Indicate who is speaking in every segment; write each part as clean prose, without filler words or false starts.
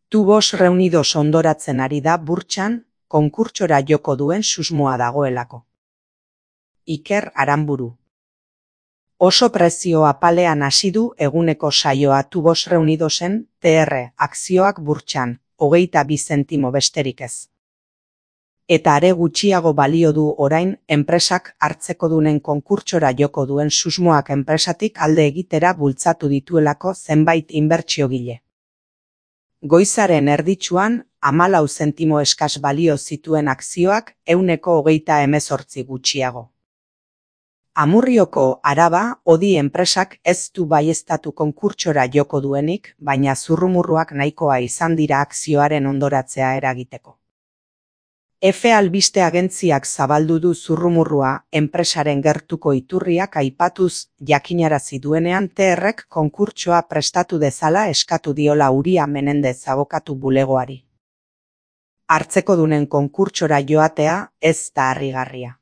Speaker 1: Tubos Reunidos hondoratzen ari da burtsan, konkurtsora joko duen susmoa dagoelako. Iker Aranburu. Oso prezio apalean hasi du eguneko saioa Tubos Reunidosen TR akzioak burtsan, 22 zentimo besterik ez. Eta are gutxiago balio du orain enpresak hartzekodunen konkurtsora joko duen susmoak enpresatik alde egitera bultzatu dituelako zenbait inbertsiogile. Goizaren erditsuan 14 zentimo eskas balio zituen akzioak 128 gutxiago. Amurrioko Araba Odi enpresak ez du baieztatu konkurtsora joko duenik, baina zurrumurruak nahikoa izan dira akzioaren hondoratzea eragiteko. Efe albiste agentziak zabaldu du zurrumurrua enpresaren gertuko iturriak aipatuz jakinarazi duenean TRek konkurtsoa prestatu dezala eskatu diola Uria Menendez abokatu bulegoari. Hartzekodunen konkurtsora joatea ez da harrigarria.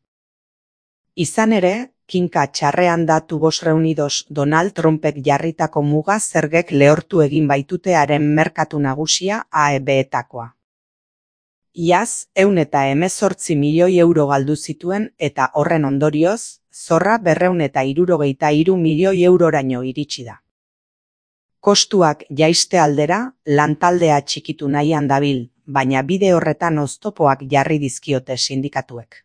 Speaker 1: Izan ere, kinka txarrean da Tubos Reunidos Donald Trumpek jarritako muga zergek lehortu egin baitutearen merkatu nagusia AEB-etakoa. Iaz, 118 milioi euro galdu zituen eta horren ondorioz, zorra 263 milioi euroraino iritsi da. Kostuak jaiste aldera, lantaldea txikitu nahian dabil, baina bide horretan oztopoak jarri dizkiote sindikatuek.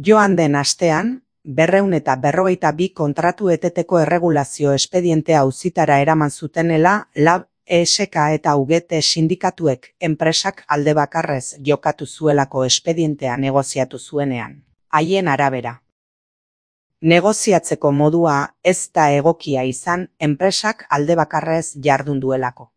Speaker 1: Joan den astean, 252 kontratu eteteko erregulazio espedientea auzitara eraman zutenela LAB, ESK eta UGT sindikatuek enpresak alde bakarrez jokatu zuelako espedientea negoziatu zuenean, haien arabera. Negoziatzeko modua ez da egokia izan enpresak alde bakarrez jardun duelako.